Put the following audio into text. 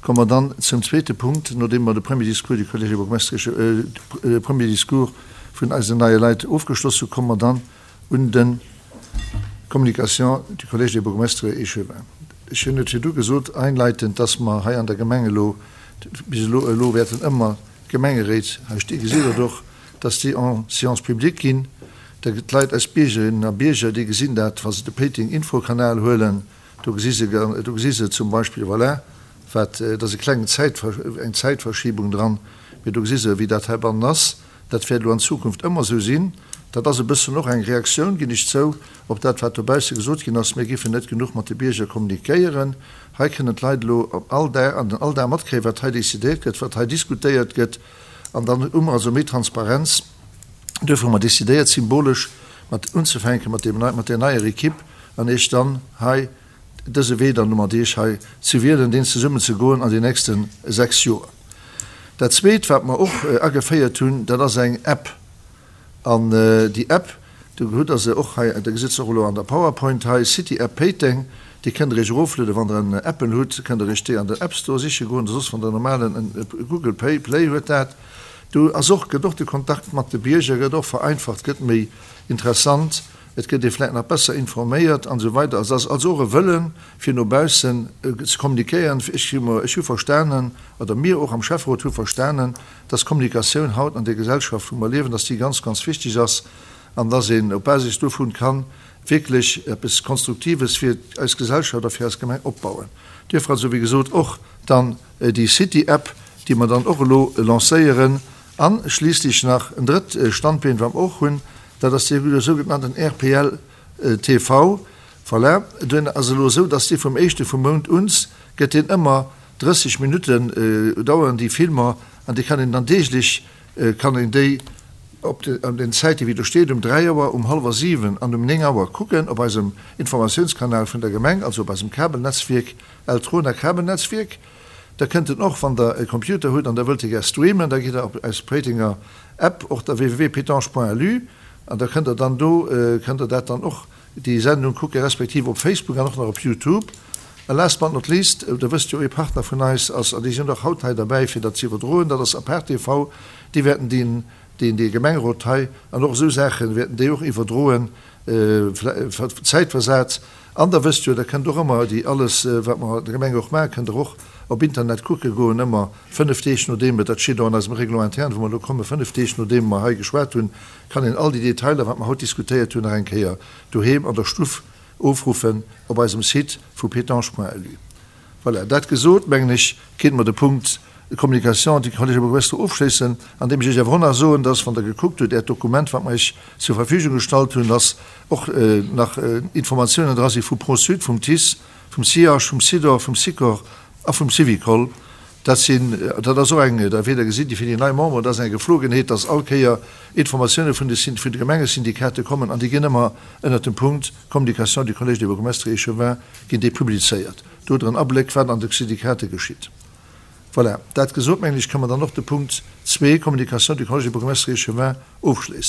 Komme mer dann zum zweete Punkt, nodeem mer de Premier discours du Collège des bourgmestres, de Premier discours vun eisen neie Leit ofgeschloss hu, komme mer dann un de Communications du Collège des bourgmestres et échevins. Ech hunn et virdu gesot, einleitend, dass mer hei an der Gemeng elo, bis elo, elo wäerten ëmmer d'Gemengeréit, hei sti gesitt Der et och, dass déi en séance publique ginn. Da gëtt d'Leit, eis Biergerinnen a Bierger, déi gesinn dat, wa se de Péiteng Infokanal huelen, Do gesi se, do gesi se zum Beispill, voilà, wat, et ass e klengen Zäit, eng Zäitverschiebung dran, mee do gesi se, wéi dat heibannen ass. Dat wäert elo an Zukunft ëmmer esou sinn. Dat ass e bëssen och eng Reaktioun, ginn ech zou, op dat, wat dobausse gesot ginn ass, mir géifen net genuch mat de Bierger kommunikéieren. Hei kënnen d'Leit elo all Dag, an den Alldag matkréien, wat hei decidéiert gëtt, wat hei diskutéiert gëtt. An dann hu mer also méi Transparenz. Duerfir hu mer decidéiert, symbolesch mat unzefänken, mat deem, mat där neier Equipe, an Iech dann hei dëse Wee dann mat Iech hei ze wielen, deen zesummen ze goen an den nächste 6 Joer. Dat Zweet, wat mer och ageféiert hunn, dat ass eng App. An déi App, do hutt Der se och hei, Der gesitt se och elo an der PowerPoint hei, City App Péiteng, déi kënnt Der Iech eroflueden, wann Der en Apple hutt, kënnt Der Iech déi an den App Store siche goen, oder soss wann Der en normalen Google Pay, Play huet dat. Do ass och, gëtt och de Kontakt mat de Bierger gëtt och vereinfacht, gëtt méi interessant. Et gëtt ee vläicht nach besser informéiert an esou weider. Et ass also och e Wëllen, fir no baussen ze kommunikéieren. Ech hu mer, ech hu verstanen, oder mir och am Schäfferot hu verstanen, dass Kommunikatioun haut an där Gesellschaft, wou mer liewen, dass déi ganz, ganz wichteg ass an dass een op Basis dovun ka wierklech eppes Konstruktives fir eis Gesellschaft a fir eis Gemeng opbauen. Duerfir also, wéi gesot, och dann déi City-App, déi mer dann och elo lancéieren. A schliisslech nach en drëtt Standbeen, wat mer och hunn, dat ass dee sougenannten RPL TV. Voilà, deen ass elo esou, dass dee vum éischte vum Mount uns gëtt deen ëmmer 30 Minutten daueren déi Filmer an déi kann een dann deeglech kann een déi op den Zäite wéi do steet, um 3 Auer, um hallwer 7 an um 9 Auer kucken op eisem Informatiounskanal vun der Gemeng, also op eisem Kabelnetzwierk, Eltrona Kabelnetzwierk. Da kënnt en och, wann der e Computer hutt an der wëllt e gär streamen, da gitt der op eis Péitenger App, och der www.pétange.lu, an da kënnt der dann do, kënnt der dat dann och, déi Sendung kucken, respektiv op Facebook an och nach op Youtube. A last but not least, der wësst jo, ee Partner vun eis ass, an déi sinn och haut hei derbäi fir dat ze iwwerdroen, dat ass Apart TV, déi wäerten deen, deen, dee Gemengerot hei an och esou Saache wäerten déi och iwwerdroen, Zäitversat. An der wësst jo, der kënnt och ëmmer déi alles, wat mer an der Gemeng och maachen, kënnt der och op Internet kucke goen, ëmmer 5 Deeg nodeem et, dat steet och an eisem Règlement interne, wou mer elo kommen, 5 Deeg nodeem mer hei geschwat hunn, kann een all déi Detailer, wat mer haut diskutéiert hunn, nach eng Kéier doheem an der Stuff ofruffen op eisem Site vu pétange.lu. Voilà, dat gesot, mengen ech, kéinte mer de Punkt Communication du Collège Bourgmestre ofschléissen, andeem ech Iech awer och nach soen, dass, wann Der gekuckt hutt, Äert Dokument, wat mer Iech zur Verfügung gestallt hunn, dass och nach Informatiounen dra si vu Pro-Sud, vum TICE, vum CIH, vum SIDOR, vum SIKOR a vum Syvicol. Dat sinn, dat ass och eng, da wäert Der gesinn, déi fir déi nei Memberen, dat ass eng Geflogenheet, dass all Kéier Informatioune vun de, vun de Gemengesyndikate kommen an déi ginn ëmmer ënnert dem Punkt Communication du Collège des bourgmestres et échevins ginn déi publizéiert. Do hutt Der en Abléck, wat an de Syndikate geschitt. Voilà, dat gesot, mengen ech, kënnen mer dann och de Punkt zwee, Communication du Collège des bourgmestres et échevins, ofschléissen.